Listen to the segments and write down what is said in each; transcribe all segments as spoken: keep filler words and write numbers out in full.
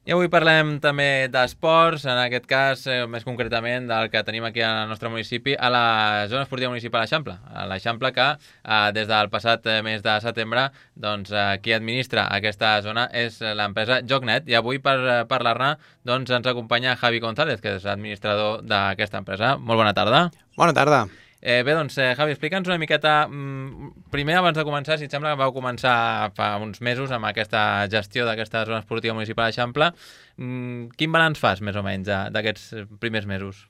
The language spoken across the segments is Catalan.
I avui parlem també d'esports, en aquest cas, eh, més concretament, del que tenim aquí al nostre municipi, a la zona esportiva municipal Eixample. A l'Eixample que, eh, des del passat eh, mes de setembre, doncs, eh, qui administra aquesta zona és l'empresa JoCnet. I avui, per eh, parlar-ne, doncs, ens acompanya Javi González, que és administrador d'aquesta empresa. Molt bona tarda. Bona tarda. Eh, bé, doncs, eh, Javi, explica'ns una miqueta, mm, primer, abans de començar, si et sembla que vau començar fa uns mesos amb aquesta gestió d'aquesta zona esportiva municipal d'Eixample. Mm, quin balanç fas, més o menys, de- d'aquests primers mesos?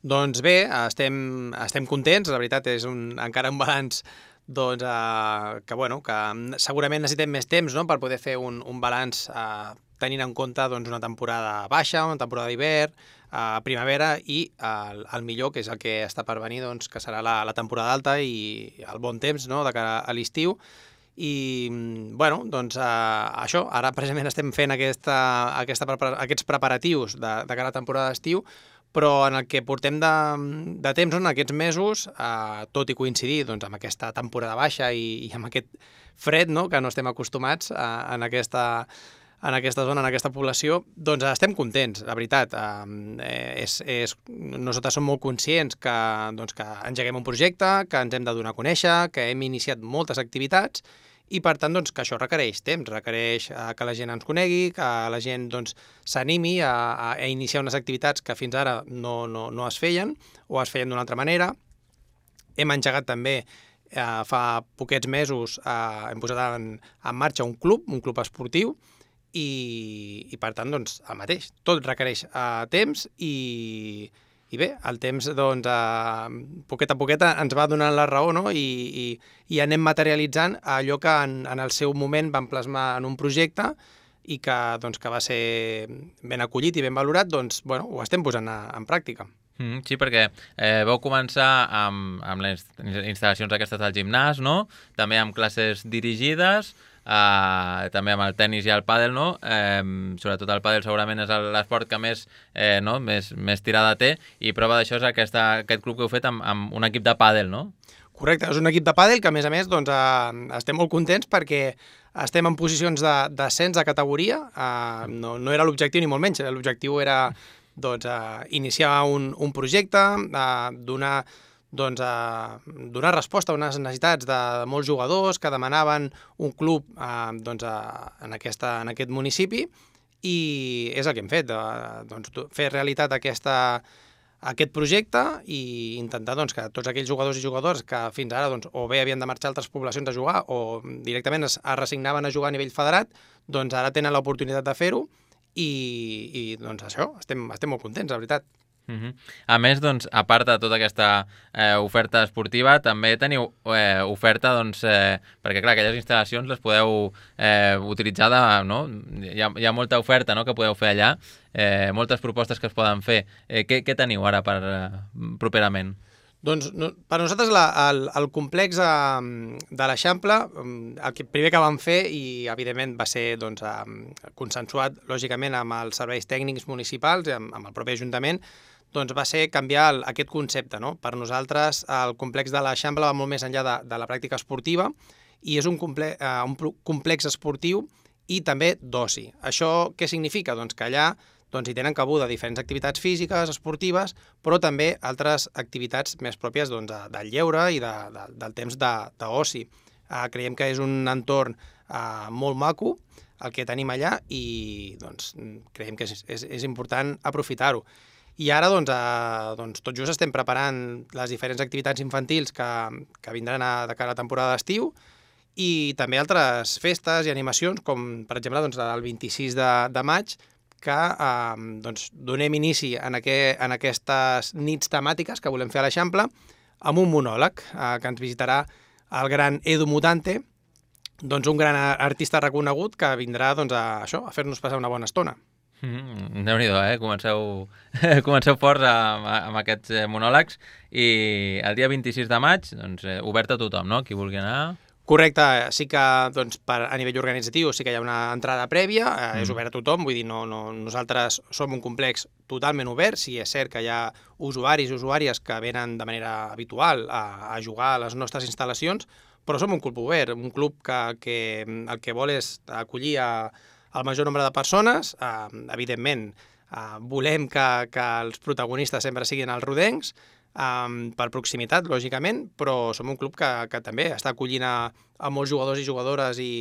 Doncs bé, estem, estem contents, la veritat és un, encara un balanç doncs, eh, que, bueno, que segurament necessitem més temps, no?, per poder fer un, un balanç eh, tenint en compte doncs, una temporada baixa, una temporada d'hivern, a primavera i el, el millor, que és el que està per venir, doncs, que serà la, la temporada alta i el bon temps, no?, de cara a l'estiu. I, bueno, doncs eh, això, ara precisament estem fent aquesta, aquesta, prepara- aquests preparatius de, de cara a la temporada d'estiu, però en el que portem de, de temps, no?, en aquests mesos, eh, tot i coincidir doncs, amb aquesta temporada baixa i, i amb aquest fred, no?, que no estem acostumats eh, en aquesta en aquesta zona, en aquesta població, doncs estem contents, la veritat. Eh, és, és, nosaltres som molt conscients que, doncs, que engeguem un projecte, que ens hem de donar a conèixer, que hem iniciat moltes activitats i, per tant, doncs, que això requereix temps, requereix eh, que la gent ens conegui, que la gent doncs, s'animi a, a, a iniciar unes activitats que fins ara no, no, no es feien o es feien d'una altra manera. Hem engegat també eh, fa poquets mesos, eh, hem posat en, en marxa un club, un club esportiu, i, i per tant, doncs, el mateix. Tot requereix uh, temps i, i bé, el temps, doncs, uh, poquet a poquet ens va donant la raó, no?, i, i, i anem materialitzant allò que en, en el seu moment vam plasmar en un projecte i que, doncs, que va ser ben acollit i ben valorat, doncs, bueno, ho estem posant a, en pràctica. Mm, sí, perquè eh, vau començar amb, amb les instal·lacions aquestes del gimnàs, no? També amb classes dirigides, Uh, també amb el tennis i el pàdel, no? Eh, sobretot el pàdel segurament és l'esport que més, eh, no? més, més tirada té, i prova d'això és aquesta, aquest club que heu fet amb, amb un equip de pàdel, no? Correcte, és un equip de pàdel que, a més a més, doncs, eh, estem molt contents perquè estem en posicions d'ascens de, de categoria. Eh, no, no era l'objectiu ni molt menys, l'objectiu era doncs, eh, iniciar un, un projecte, eh, donar doncs, a donar resposta a unes necessitats de molts jugadors que demanaven un club eh, doncs, a, en, aquesta, en aquest municipi, i és el que hem fet, eh, doncs, fer realitat aquesta, aquest projecte i intentar doncs, que tots aquells jugadors i jugadors que fins ara doncs, o bé havien de marxar a altres poblacions a jugar o directament es, es resignaven a jugar a nivell federat, doncs ara tenen l'oportunitat de fer-ho i, i doncs, això, estem, estem molt contents, la veritat. Uh-huh. A més, doncs, a part de tota aquesta eh, oferta esportiva, també teniu eh, oferta, doncs, eh, perquè clar, aquelles instal·lacions les podeu eh, utilitzar, de, no? Hi ha, hi ha molta oferta, no?, que podeu fer allà, eh, moltes propostes que es poden fer. Eh, què, què teniu ara per eh, properament? Doncs no, per nosaltres la, el, el complex eh, de l'Eixample, el que, primer que vam fer, i evidentment va ser doncs, eh, consensuat lògicament amb els serveis tècnics municipals, amb, amb el propi Ajuntament, doncs va ser canviar el, aquest concepte, no? Per nosaltres el complex de l'Eixample va molt més enllà de, de la pràctica esportiva i és un, comple, eh, un complex esportiu i també d'oci. Això què significa? Doncs que allà doncs, hi tenen cabuda diferents activitats físiques, esportives, però també altres activitats més pròpies doncs, del lleure i de, de, del temps d'oci. Eh, creiem que és un entorn eh, molt maco el que tenim allà i doncs, creiem que és, és, és important aprofitar-ho. I ara, doncs, eh, doncs, tot just estem preparant les diferents activitats infantils que, que vindran a, de cara a la temporada d'estiu i també altres festes i animacions, com per exemple doncs, el vint-i-sis de, de maig, que eh, doncs, donem inici en, aqu en aquestes nits temàtiques que volem fer a l'Eixample amb un monòleg eh, que ens visitarà el gran Edu Mutante, doncs, un gran artista reconegut que vindrà doncs, a, això, a fer-nos passar una bona estona. Mm, Déu-n'hi-do, eh? Comenceu, comenceu forts amb, amb aquests eh, monòlegs i el dia vint-i-sis de maig, doncs, eh, obert a tothom, no?, qui vulgui anar. Correcte, sí que doncs, per, a nivell organitzatiu sí que hi ha una entrada prèvia, eh, mm. és obert a tothom, vull dir, no, no, nosaltres som un complex totalment obert, sí és cert que hi ha usuaris i usuàries que venen de manera habitual a, a jugar a les nostres instal·lacions, però som un club obert, un club que, que el que vol és acollir a el major nombre de persones. Uh, evidentment, uh, volem que, que els protagonistes sempre siguin els rodencs, um, per proximitat, lògicament, però som un club que, que també està acollint a, a molts jugadors i jugadores i,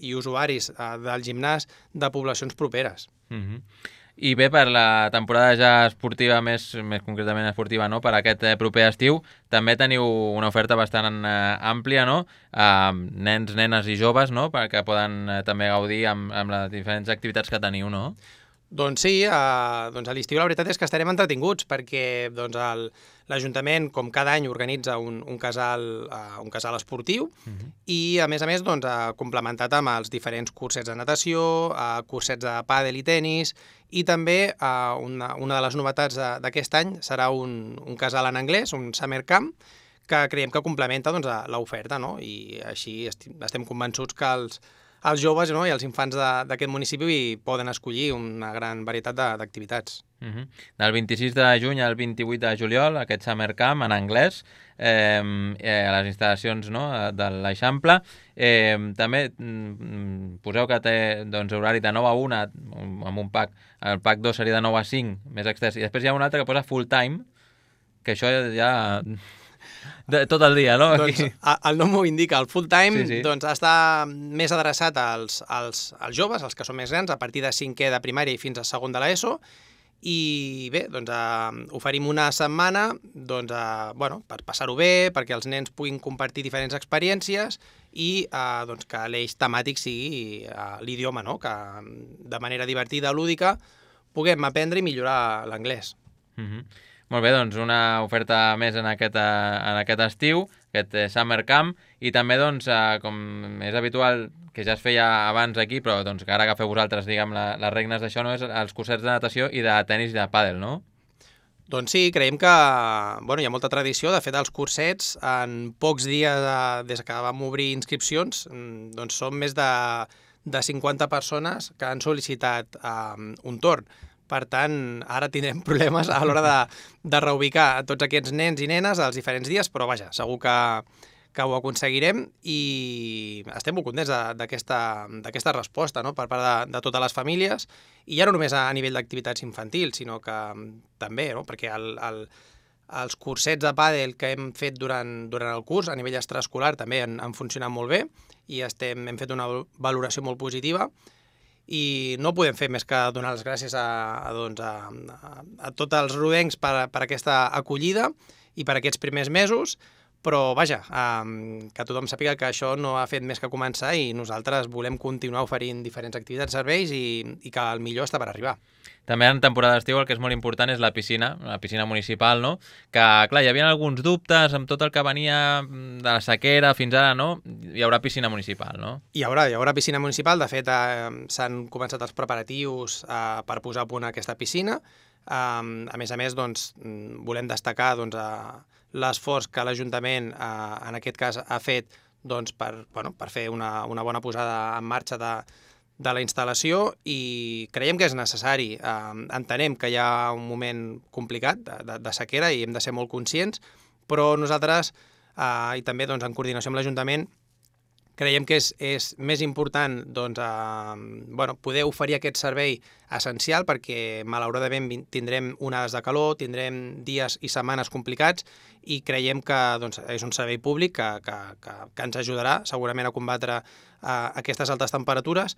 i usuaris uh, del gimnàs de poblacions properes. Mm-hmm. I bé, per la temporada ja esportiva, més, més concretament esportiva, no? Per aquest eh, proper estiu, també teniu una oferta bastant eh, àmplia, no? Uh, nens, nenes i joves, no? Perquè poden eh, també gaudir amb, amb les diferents activitats que teniu, no? Doncs sí, eh, doncs a l'estiu la veritat és que estarem entretinguts perquè doncs, el, l'Ajuntament, com cada any, organitza un, un, casal, uh, un casal esportiu uh-huh. i, a més a més, doncs, ha complementat amb els diferents cursets de natació, uh, cursets de pàdel i tenis, i també uh, una, una de les novetats d'aquest any serà un, un casal en anglès, un summer camp, que creiem que complementa doncs, l'oferta, no? I així estem convençuts que els els joves, no? I els infants d'aquest municipi poden escollir una gran varietat d'activitats. Uh-huh. Del vint-i-sis de juny al vint-i-vuit de juliol, aquest Summer Camp en anglès, eh, eh, a les instal·lacions, no? De l'Eixample. Eh, també mm, poseu que té doncs, horari de nou a una amb un pack. El pack dos seria de nou a cinc, més extens. I després hi ha un altre que posa full time, que això ja... De, tot el dia, no? Doncs el nom ho indica, el full time sí, sí. Doncs està més adreçat als, als, als joves, als que són més grans, a partir de cinquè de primària i fins a segon de l'ESO, i bé, doncs eh, oferim una setmana doncs, eh, bueno, per passar-ho bé, perquè els nens puguin compartir diferents experiències i eh, doncs, que l'eix temàtic sigui eh, l'idioma, no? Que de manera divertida, lúdica, puguem aprendre i millorar l'anglès. Mm-hmm. Molt bé, doncs una oferta més en aquest, en aquest estiu, aquest Summer Camp, i també, doncs, com és habitual, que ja es feia abans aquí, però doncs, que ara agafeu vosaltres, diguem, la, les regnes d'això, no? És els cursets de natació i de tenis i de pàdel, no? Doncs sí, creiem que bueno, hi ha molta tradició. De fet, els cursets, en pocs dies de, des que vam obrir inscripcions, doncs són més de, de cinquanta persones que han sol·licitat um, un torn. Per tant, ara tindrem problemes a l'hora de, de reubicar tots aquests nens i nenes als diferents dies, però vaja, segur que, que ho aconseguirem i estem molt contents d'aquesta resposta, no? Per part de, de totes les famílies, i ja no només a nivell d'activitats infantils, sinó que també, no? Perquè el, el, els cursets de pàdel que hem fet durant, durant el curs a nivell extraescolar també han, han funcionat molt bé i estem, hem fet una valoració molt positiva. I no podem fer més que donar les gràcies a, a, doncs, a, a, a tots els rodencs per, per aquesta acollida i per aquests primers mesos, però vaja, um, que tothom sàpiga que això no ha fet més que començar i nosaltres volem continuar oferint diferents activitats, serveis i, i que el millor està per arribar. També en temporada d'estiu el que és molt important és la piscina, la piscina municipal, no? Que, clar, hi havia alguns dubtes amb tot el que venia de la sequera fins ara, no? Hi haurà piscina municipal, no? Hi haurà, hi haurà piscina municipal. De fet, eh, s'han començat els preparatius eh, per posar a punt aquesta piscina. Eh, a més a més, doncs, volem destacar doncs, eh, l'esforç que l'Ajuntament, eh, en aquest cas, ha fet doncs, per, bueno, per fer una, una bona posada en marxa de de la instal·lació i creiem que és necessari. Eh, entenem que hi ha un moment complicat de, de, de sequera i hem de ser molt conscients, però nosaltres, eh, i també doncs, en coordinació amb l'Ajuntament, creiem que és, és més important doncs, eh, bueno, poder oferir aquest servei essencial perquè malauradament tindrem onades de calor, tindrem dies i setmanes complicats i creiem que doncs, és un servei públic que, que, que, que ens ajudarà segurament a combatre eh, aquestes altes temperatures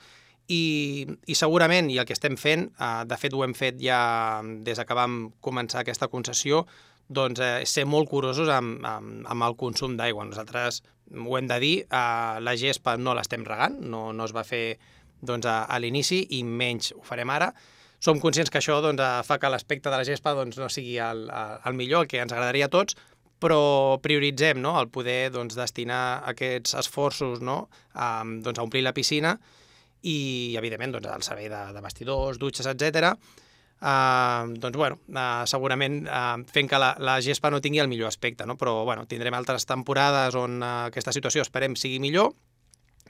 i, i segurament, i el que estem fent, eh, de fet ho hem fet ja des que vam començar aquesta concessió, doncs eh, ser molt curosos amb, amb, amb el consum d'aigua. Nosaltres ho hem de dir, eh, la gespa no l'estem regant, no, no es va fer doncs, a, a l'inici i menys ho farem ara. Som conscients que això doncs, fa que l'aspecte de la gespa doncs, no sigui el, el millor, el que ens agradaria a tots, però prioritzem no? El poder doncs, destinar aquests esforços no? a, doncs, a omplir la piscina i, evidentment, doncs, el servei de, de vestidors, dutxes, etcètera. Uh, doncs, bueno, uh, segurament uh, fent que la, la gespa no tingui el millor aspecte, no? Però bueno, tindrem altres temporades on uh, aquesta situació esperem sigui millor,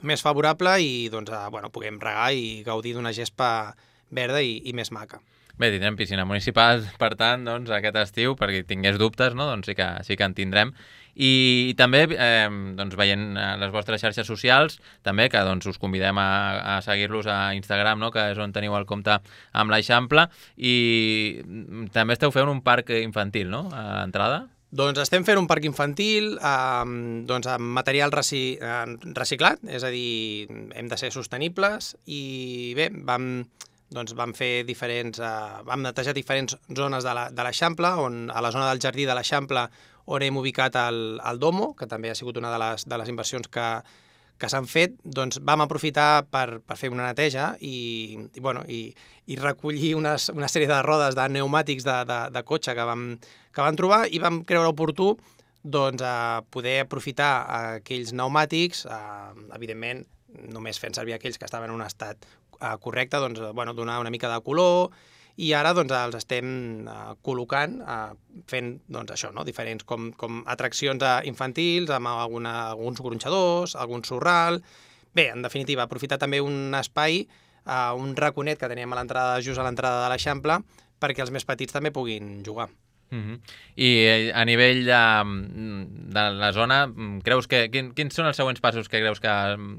més favorable i doncs, uh, bueno, puguem regar i gaudir d'una gespa verda i, i més maca. Bé, tindrem piscina municipal, per tant, doncs, aquest estiu, perquè tingués dubtes, no? Doncs sí que, sí que en tindrem. I, i també, eh, doncs, veient les vostres xarxes socials, també, que doncs, us convidem a, a seguir-los a Instagram, no? Que és on teniu el compte amb l'Eixample, i també esteu fent un parc infantil, no?, a l'entrada. Doncs estem fent un parc infantil eh, doncs amb material reci, eh, reciclat, és a dir, hem de ser sostenibles i bé, vam, doncs vam fer diferents, eh, vam netejar diferents zones de la, de l'Eixample, on a la zona del jardí de l'Eixample on hem ubicat el, el Domo, que també ha sigut una de les, de les inversions que, que s'han fet, doncs vam aprofitar per, per fer una neteja i, i, bueno, i, i recollir unes, una sèrie de rodes de pneumàtics de, de, de cotxe que vam, que vam trobar i vam creure oportú doncs, a poder aprofitar aquells pneumàtics, eh, evidentment només fent servir aquells que estaven en un estat eh, correcte, doncs, bueno, donar una mica de color, i ara doncs, els estem eh, col·locant, eh, fent doncs, això, no? Diferents com, com atraccions eh, infantils, amb alguna, alguns gronxadors, algun sorral. Bé, en definitiva, aprofitar també un espai, eh, un raconet que teníem a l'entrada, just a l'entrada de l'Eixample, perquè els més petits també puguin jugar. Uh-huh. I a nivell de, de la zona, creus que, quin, quins són els següents passos que creus que,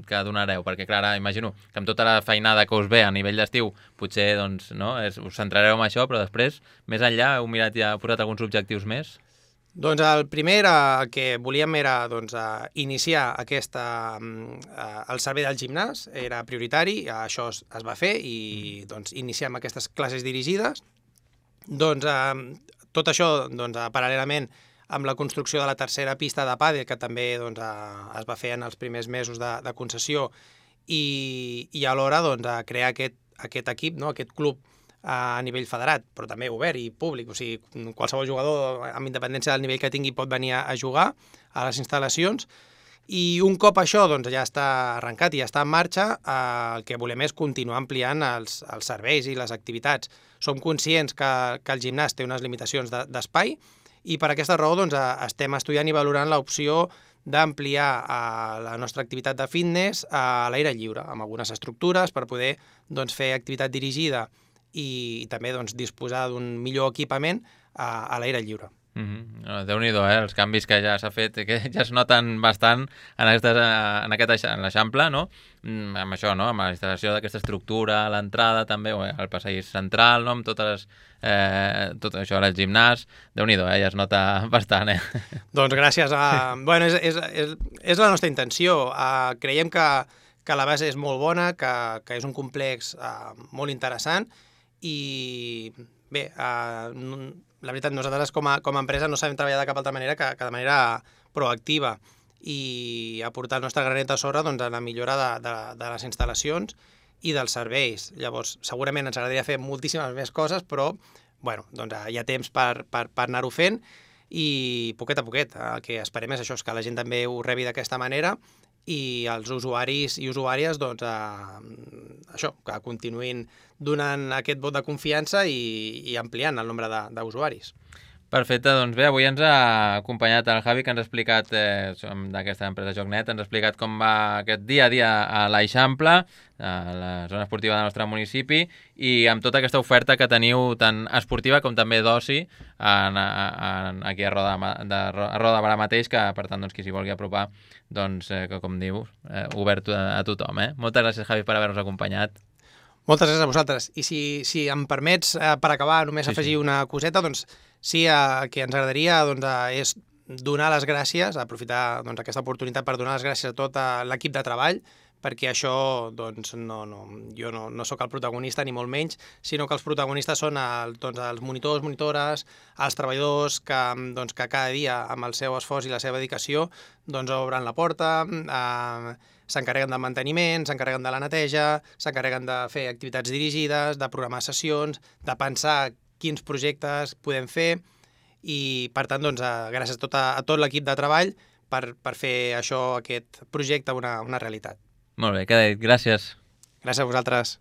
que donareu? Perquè, clar, ara imagino que amb tota la feinada que us ve a nivell d'estiu, potser doncs, no, és, us centrareu en això, però després, més enllà, heu mirat i heu posat alguns objectius més? Doncs el primer era, el que volíem era doncs, iniciar aquesta, el servei del gimnàs, era prioritari, això es, es va fer i doncs, iniciem aquestes classes dirigides. Doncs eh, tot això, doncs, paral·lelament amb la construcció de la tercera pista de pàdel, que també doncs, es va fer en els primers mesos de, de concessió, i, i alhora doncs, crear aquest, aquest equip, no? Aquest club a nivell federat, però també obert i públic. O sigui, qualsevol jugador, amb independència del nivell que tingui, pot venir a jugar a les instal·lacions. I un cop això doncs, ja està arrencat i ja està en marxa, eh, el que volem és continuar ampliant els, els serveis i les activitats. Som conscients que, que el gimnàs té unes limitacions d'espai i per aquesta raó doncs, estem estudiant i valorant l'opció d'ampliar eh, la nostra activitat de fitness a l'aire lliure, amb algunes estructures per poder doncs, fer activitat dirigida i, i també doncs, disposar d'un millor equipament a, a l'aire lliure. Mm-hmm. Déu-n'hi-do, eh? Els canvis que ja s'ha fet, que ja es noten bastant en, aquestes, en aquest en l'Eixample, no? Mm, amb això, no? Amb la instal·lació d'aquesta estructura, l'entrada també, o el passadís central, no? Amb totes, eh, tot això, el gimnàs, Déu-n'hi-do, eh? Ja es nota bastant, eh? Doncs gràcies a... bueno, és, és, és, és la nostra intenció. Uh, creiem que, que la base és molt bona, que, que és un complex uh, molt interessant i bé, uh, la veritat, nosaltres com a, com a empresa no sabem treballar de cap altra manera que, que de manera proactiva i aportar el nostre granet de sorra doncs, a la millora de, de, de les instal·lacions i dels serveis. Llavors, segurament ens agradaria fer moltíssimes més coses, però bueno, doncs, hi ha temps per, per, per anar-ho fent i poquet a poquet. El que esperem és això, és que la gent també ho rebi d'aquesta manera i els usuaris i usuàries doncs, eh, això, que continuïn donant aquest vot de confiança i, i ampliant el nombre d'usuaris. Perfecte, doncs bé, avui ens ha acompanyat el Javi, que ens ha explicat, eh, d'aquesta empresa JOCnet, ens ha explicat com va aquest dia a dia a l'Eixample, a la zona esportiva del nostre municipi, i amb tota aquesta oferta que teniu tant esportiva com també d'oci aquí a Roda, de, a Roda de Barà mateix, que per tant, doncs, qui s'hi vulgui apropar, doncs, eh, que com dius, eh, obert a, a tothom. Eh? Moltes gràcies, Javi, per haver-nos acompanyat. Moltes gràcies a vosaltres. I si, si em permets, eh, per acabar, només sí, afegir sí. una coseta, doncs sí, eh, que ens agradaria doncs, eh, és donar les gràcies, aprofitar doncs, aquesta oportunitat per donar les gràcies a tot l'equip de treball, perquè això, doncs, no, no, jo no, no sóc el protagonista, ni molt menys, sinó que els protagonistes són el, doncs, els monitors, monitores, els treballadors que, doncs, que cada dia, amb el seu esforç i la seva dedicació, doncs, obren la porta, eh, s'encarreguen del manteniment, s'encarreguen de la neteja, s'encarreguen de fer activitats dirigides, de programar sessions, de pensar quins projectes podem fer i, per tant, doncs, gràcies a tot, a, a tot l'equip de treball per, per fer això, aquest projecte, una, una realitat. Molt bé, queda dit. Gràcies. Gràcies a vosaltres.